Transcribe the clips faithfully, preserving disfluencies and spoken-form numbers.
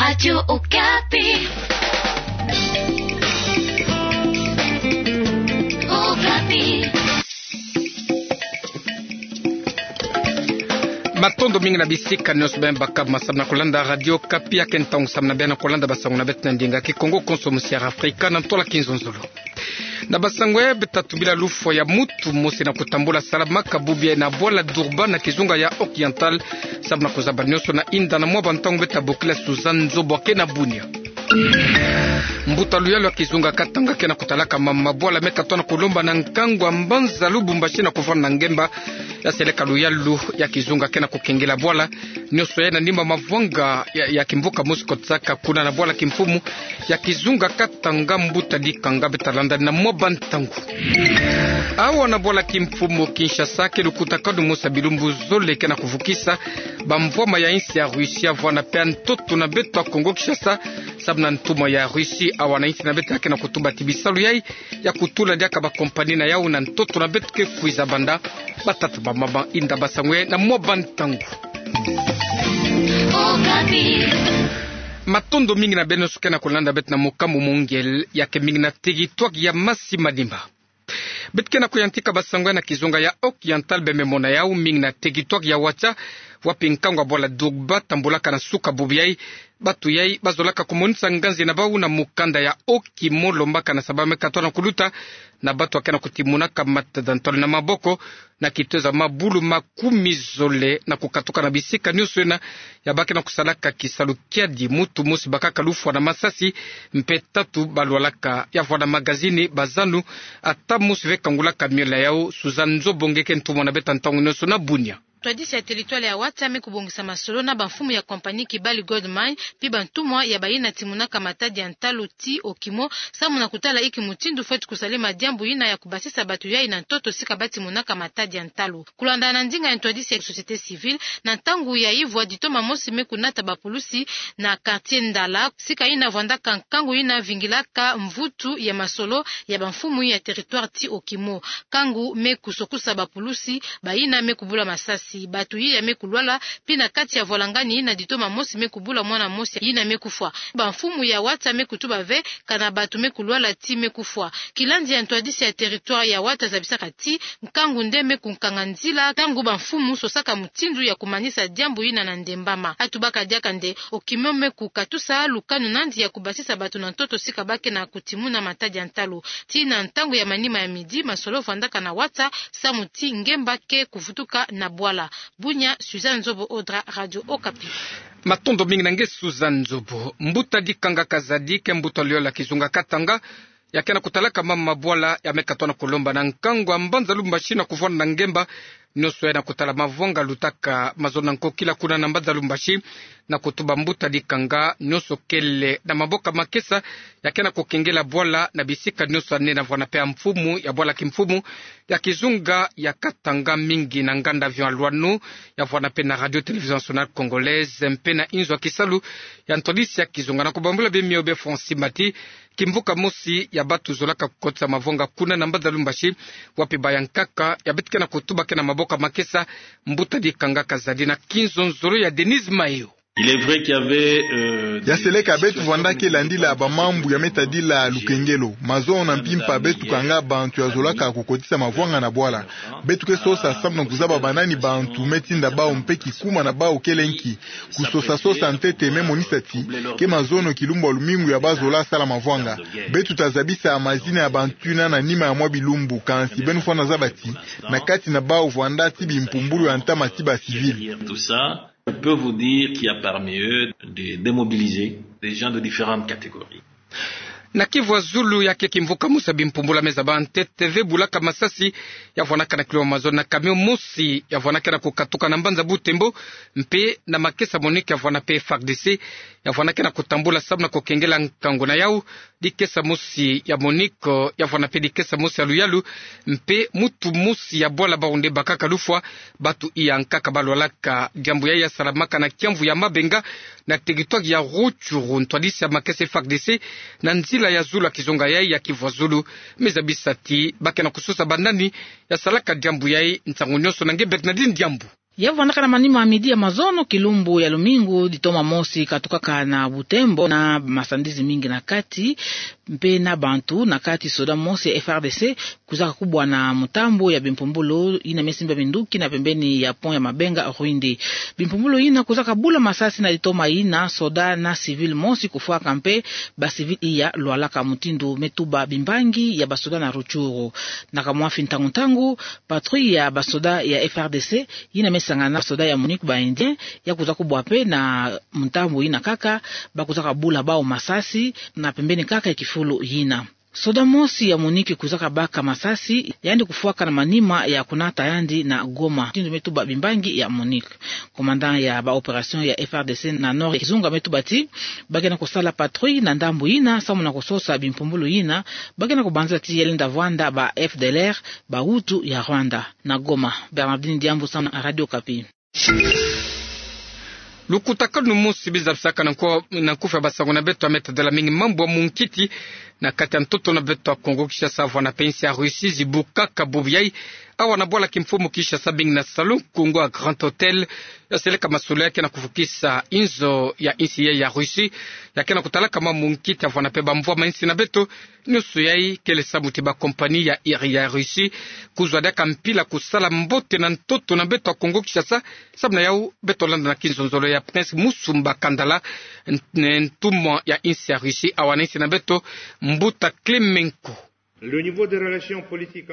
Radio Okapi. Okapi. Matondo mingi na bisika nyonso beno baka samu na kolanda Radio Okapi. Ya ke ntangu samu na beno kolanda basango na beto na ndinga Kikongo konso mu Sierra Afrika na ntola kinzonzolo. Na basango ya beto ta tubila lufwa ya mutu mosi na kutambula salamaka bubu yayi na bwala Durban na kizunga ya Oriental, samu na kuzaba nyonso na inda na mwa bantangu beto ta bokila Suzanne Nzobo ke na Bunia. Mbuta luyalu ya kizunga Katanga ke na kutalaka mama bwala me katona kulomba na nkangu ya mbanza Lubumbashi na kuvwanda na ngemba ya seleka luyalu ya kizunga ke na kukengela bwala nyonso yayi na nima mavwanga ya, ya kimvuka mosi kotisaka kuna na bwala kimfumu ya kizunga Katanga. Mbuta Dikanga beto ta landa na mwa bantangu. Awa na bwala kimfumu Kinshasa ke lukutakanu mosi ya bilumbu zole ke na kuvukisa bamvwama ya insi ya Russie, vwanda mpe ntoto na beto ya Kongo Kinshasa, samu na ntumwa ya Russie awa na insi na beto ya ke na kutuba ti bisalu yayi ya kutula diaka bakompani na yawu na ntoto na beto ke kwiza banda. Batata, bamama, inda basango yayi na mwa bantangu. Matondo mingi na beno nyonso ke na kulanda beto na mokamba mongele, ya ke mingi na territoire ya Masi-Manima. Beto ke na kuyantika basango yayi na kizunga ya Oriental, beno me mona yawu mingi na territoire ya Ouacha, wapi nkangu ya bwala Durban tambulaka na suka bubu yayi. Bato yayi bazolaka kumonisa nganzi na bawu na mukanda ya Okimo, lombaka na sababa me katona kuluta na bato ya ke na kutimunaka matada ntwala na maboko na kitoza mabulu makumi zole na kukatuka na bisika nyonso yina ya ba ke na kusalaka kisalu kiadi. Mutu mosi bakaka lufwa na masasi, mpe tatu balwalaka. Ya vwanda magazini, bazanu, ata mosi ve kangulaka miole ya yawu. Suzanne Nzobo nge ke ntumwa na beto ya ntangu nyonso na Bunia. Ntwadisi ya territoire ya Ouacha me kubongisa masolo na bamfumu ya compagnie Kibali Gold Mine, mpi bantumwa ya bayina timunaka matadi ya ntalu ti Okimo, samu na kutala inki mutindu fweti kusalema diambu yina ya kubasisa bato yayi na ntoto sika ba timunaka matadi ya ntalu. Kulandana na ndinga ya ntwadisi ya société civile, na ntangu ya ivwa ditoma mosi me kunata bapulusi na quartier Ndala, sika yina vwandaka nkangu yina vingilaka mvutu ya masolo ya bamfumu ya territoire ti Okimo. Nkangu me kusokusa bapulusi, bayina me kubula masasi, bato yiya me kulwala, mpi na kati ya vwalangani yina ditoma mosi me kubula mwana mosi yina me kufwa. Bamfumu ya Ouacha me kutuba ve kana bato me kulwala ti me kufwa. Kilandi ya ntwadisi ya territoire ya Ouacha zabisaka ti nkangu nde me kunkanga nzila ntangu bamfumu sosaka mutindu ya kumanisa diambu yina na ndembama. Atubaka diaka nde Okimo me kukatusa lukanu nandi ya kubasisa bato na ntoto sika ba ke na kutimuna matadi ya ntalu. Tii na ntangu ya manima ya midi, masolo vwandaka na Ouacha samu ti ngemba ke kuvutuka na bwala. Bunia, Suzanne Nzobo Odra, Radio Okapi. Matondo mingi na nge Suzanne Nzobo. Mbuta Dikanga Kazadi ke mbuta luyalu ya kizunga Katanga, ya ke na kutalaka mama bwala ya me katona kulomba na nkangu ya mbanza Lubumbashi na kuvwanda na ngemba nyonso yayi na kutala mavwanga lutaka mazono na nkokila kuna na mbanza Lubumbashi, na kutuba mbuta Dikanga nyonso kele na maboko ya makesa ya ke na kukengela bwala na bisika nyonso ya nene, vwanda mpe ya mfumu ya bwala kimfumu ya kizunga ya Katanga, mingi na nganda avion ya Loineau, ya vwanda mpe na Radio Télévision Nationale Congolaise, mpe na inzo ya kisalu ya ntwadisi ya kizunga. Na kubambula bimio bia Francis Mati, kimvuka mosi ya bato zolaka kukotisa mavwanga kuna na mbanza Lubumbashi, wapi bayankaka ya beto ke na kutuba ke na maboko ya makesa. Mbuta Dikanga Kazadi na kinzonzolo ya Denise Mayo. Il est vrai qu'il y avait, euh, ya seleka beto vwandaka landila bamambu ya me tadila lukengelo, mazono na mpimpa beto kanga bantu ya zolaka kukotisa mavwanga na bwala. Beto ke sosa samu na kuzaba banani bantu me tinda bawu mpe kikuma na bawu kele nki. Kusosa sosa ntete me monisa ti ke mazono kilumbu ya lumingu ya ba zola sala mavwanga. Beto ta zabisa mazina ya bantu yina na nima ya mwa bilumbu, kansi beno fwana zaba ti na kati na bawu vwanda ti bimpumbulu ya ntama ti ba civils. Tout ça, je peux vous dire qu'il y a parmi eux des démobilisés, des gens de différentes catégories. Na Kivu ya Zulu, ya ke kimvuka mosi ya bimpumbulu ya me zaba ntete ve bulaka masasi ya vwanaka na kilomètre mazono na camion mosi ya vwanaka na kukatuka na mbanza Butembo, mpe na makesa MONUC ya vwana mpe FARDC ya vwanaka na kutambula samu na kukengela nkangu na yawu. Dikesa mosi ya MONUC ya vwana mpe dikesa mosi ya luyalu, mpe mutu mosi ya bwala bawu nde bakaka lufwa. Bato iya nkaka balwalaka. Diambu yayi ya salamaka na kiamvu ya Mabenga, na territoire ya Rutshuru. Ntwadisi ya makesa FARDC na nzila ya zulu ya kizunga yayi ya Kivu ya Zulu me zabisa ti ba ke na kusosa banani ya salaka diambu yayi. Nsangu nyonso na nge Bernardine Diambu. Ya vandaka na manima midi ya mazono kilumbu ya lumingu, ditoma mosi katukaka na Butembo na masandizi mingi na kati, mpe na bantu na kati soda mosi ya F R D C kwizaka kubwa na mutambu ya bimpumbulu yina me simba minduki na pembeni ya pont ya Mabenga Rwindi. Bimpumbulu yina kwizaka bula masasi na ditoma yina soda na civil mosi kufwaka mpe ba civil iya lwalaka, mutindu me tuba bimbangi ya basoda na Rutshuru. Na kamwafi ntangu-ntangu, patrouille ya basoda ya F R D C yina me sangana na basoda ya MONUC ba Indiens ya kwiza kubwa mpe na mutambu yina kaka, ba kwizaka bula bawu masasi na pembeni kaka ya kifulu yina. Soda mosi ya MONUC kwizaka baka masasi, yandi kufwaka na manima ya kunata yandi na Goma, mutindu me tuba bimbangi ya MONUC. Commandant ya ba opération ya F R D C na Nord ya Kizunga me tuba ti ba ke na kusala patrouille na ndambu yina samu na kusosa bimpumbulu yina ba ke na kubanza ti ya lenda vwanda ba F D L R, ba Hutu ya Rwanda. Na Goma, Bernardine Diambu samu na Radio Okapi. Lukutakanu mosi bi zabisaka na nku-, na nkufi ya basango na beto ya me tadila mingi mambu ya munkiti na kati ya ntoto na beto ya Kongo Kinshasa, vwa na mpe insi ya Russie, zibukaka bubu yayi awa na bwala kimfumu Kinshasa, mingi na Salon Kongo ya Grand Hôtel, ya seleka masolo ya ke na kuvukisa inzo ya insi yayi ya Russie, ya ke na kutalaka mambu ya munkiti, vwa na mpe bamvwama ya insi na beto. Nionso yayi kele samu ti ba compagnie ya iri ya Russie kuzwa diaka mpila kusala mbote na ntoto na beto ya Kongo Kinshasa. Samu na yawu, beto landa na kinzonzolo ya Prince Musumba Kandala, n-, ntumwa ya insi ya Russie awa na insi na beto, Mbuta Klemenko.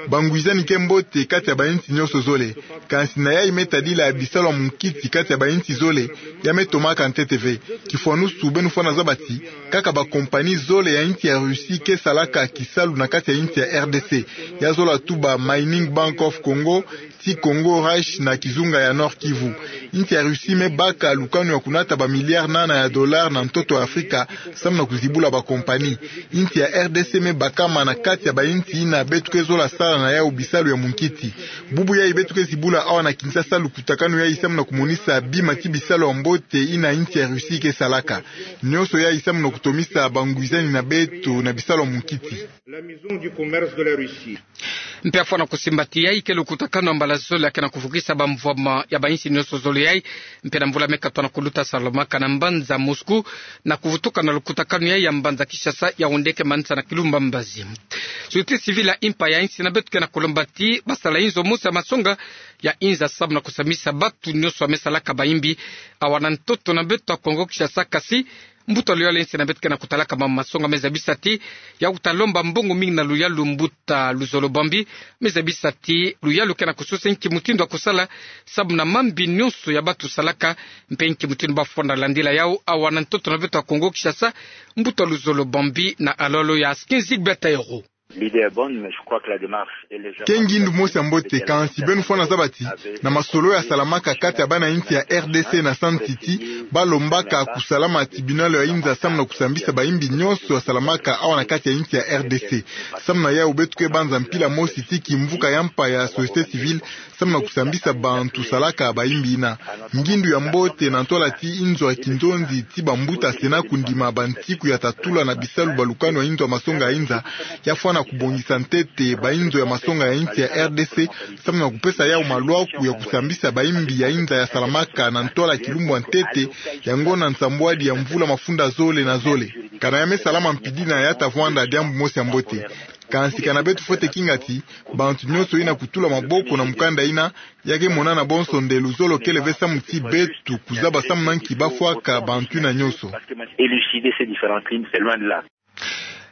Bangwizani ke mbote kati ya bainsi nionso zole. Kansi na yayi me tadila bisalu ya munkiti kati ya bainsi zole, ya me tomaka ntete ve. Kifwanusu, beno fwana zaba ti kaka ba compagnie zole ya insi ya Russie ke salaka kisalu na kati ya insi ya R D C. Ya zola tuba Mining Bank of Congo, ti Congo Rush na Kizunga ya Nord-Kivu. Insi ya Russie me baka lukanu ya kunata ba milliards nana ya dollars na ntoto ya Afrika, samu na kuzibula ba compagnie. Insi ya R D C me bakama na kati ya bainsi yina beto ke zola sala na yawu bisalu ya munkiti. Bubu yayi beto ke zibula awa na Kinshasa lukutakanu yayi samu na kumonisa bima ti bisalu ya mbote yina insi ya Russie ke salaka. Nionso yayi samu na kutomisa bangwizani na beto na bisalu ya munkiti. Mpe ya fwana kusimba ti yayi ke lukutakanu ya mbala zole ya ke na kuvukisa bamvwama ya bainsi nionso zole yayi. Mpe na mvula me katwa na kuluta, salamaka na mbanza Moscou, na kuvutuka na lukutakanu yayi ya mbanza Kinshasa, ya wundeke manisa na kilumbu ya mbazi. Société civile ya impa ya insi na beto ke na kulomba ti ba sala inzo mosi ya masonga ya inza samu na kusambisa batu nionso ya me salaka bayimbi awa na ntoto na beto ya Kongo Kinshasa, kasi mbuta luyalu ya insi na beto ke na kutalaka mambu masonga me zabisa ti ya kuta lomba mbongo mingi na luyalu, mbuta Luzolo Bambi me zabisa ti luyalu ke na kusosa nki mutindu ya kusala samu na mambi nionso ya batu salaka, mpe nki mutindu ba fwana landila yawu awa na ntoto na beto ya Kongo Kinshasa. Mbuta Luzolo Bambi na alolo ya Skin Zigbeta Ero. Ke ngindu mosi ya mbote, kansi beno fwana zaba ti na masolo ya salamaka kati ya bana insi ya R D C na Sun City, ba lombaka kusalama tribunal ya inza samu na kusambisa bayimbi nionso ya salamaka awa na kati ya insi ya R D C. Samu na yawu beto ke banza mpila mosi ti kimvuka ya mpa ya société civile samu na kusambisa bantu salaka bayimbi yina. Ngindu ya mbote na ntwala ti inzo ya kinzonzi ti bambuta Sénat kundima bantiku ya tatula na bisalu ba lukanu ya inzo ya masonga ya inza, ya fwana kubongisa ntete bainzo ya masonga ya insi ya R D C, samu na kupesa yawu malwaku ya kusambisa bayimbi ya inza ya salamaka na ntwala kilumbu ya ntete ya ngonda nsambwadi ya mvula mafunda zole na zole. Kana ya me salama mpidi na ya ta vwanda diambu mosi ya mbote. Kansi kana beto fwete kinga ti bantu nionso yina kutula maboko na mukanda yina, ya ke monana bonso nde luzolo kele ve samu ti beto kuzaba samu na nki ba fwaka bantu yina nionso.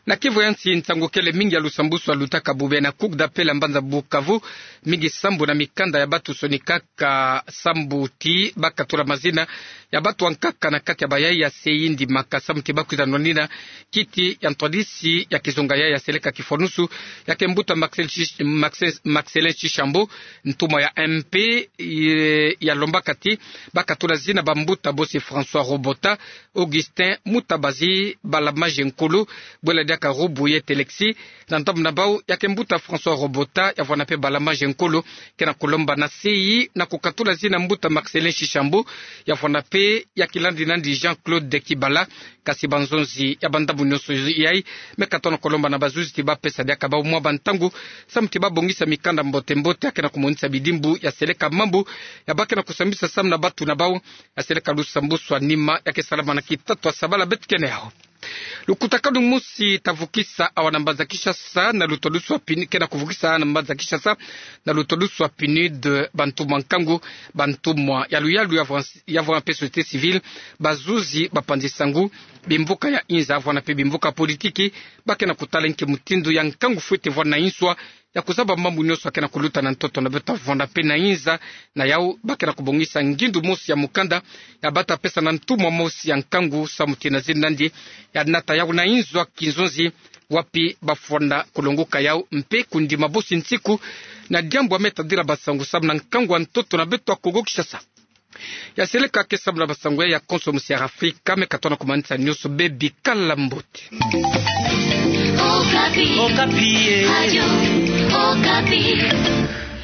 Na Kivu ya nsi, nsangu kele mingi ya lusambusu ya lutaka bubu na cour d'appel ya mbanza Bukavu, mingi sambu na mikanda ya batu sonika ka sambu ti ba katula mazina ya batu ya nkaka na kati ya bayaya se yindi maka samu ti ba kwiza nwanina kiti ya ntwadisi ya kizunga ya ya seleka kifwanusu, ya ke mbuta Maxel Chish-, Maxel, Maxelin Chishambo, ntumwa ya M P, ye, ya lombaka ti ba katula zina bambuta bosi François Robota, Augustin Mutabazi, Balamaje Nkulu, bwela Karubu ye Telexi, na ndambu na bau ya ke mbuta François Robota, ya vwanda pe Balama Jean-Claude, ke na kolomba na sei na kukatula zina mbuta Marcellin Shishambu, ya vwanda pe ya kilandi nandi Jean-Claude Kibala, kasi banzonzi ya bandambu nyonso yayi, me katona kolomba na bazuzi ti bapesa diaka bau mwa bantangu, samu ti babongisa mikanda mbote mbote ya ke na kumonisa bidimbu ya seleka mambu ya ba ke na kusambisa samu na batu na bau, ya seleka lusambuswa nima ya ke salama na kitatu ya sabala beto kena yau. Lukutakanu mosi ta vukisa awa na mbanza Kinshasa na lutwadusu ya PNUD, ke na kuvukisa na mbanza Kinshasa na lutwadusu ya PNUD bantumwa nkangu, bantumwa ya luyalu ya vwanda, ya vwanda pe société civile, bazuzi, bapanzi nsangu, bimvuka ya inza, vwanda pe bimvuka politiki, ba ke na kutala nki mutindu ya nkangu fwete vwanda na inswa, ya kuzaba mambu nyonso ya ke na kuluta na ntoto na beto, vwanda pe na inza. Na yau ba ke na kubongisa ngindu mosi ya mukanda ya ba ta pesa na ntumwa mosi ya nkangu, samu ti na zina nandi ya nata yau na inzo ya kinzonzi, wapi ba fwanda kulongoka yau mpe kundima bosi nsiku na diambu ya me tadila basangu samu na nkangu ya ntoto na beto ya Kongo Kinshasa. Ya seleka ke samu na basangu ya konso mosi ya Afrika, me katona kumanisa nyonso bê bikala mbote. Okapi. Okapi, eh. Radio Okapi.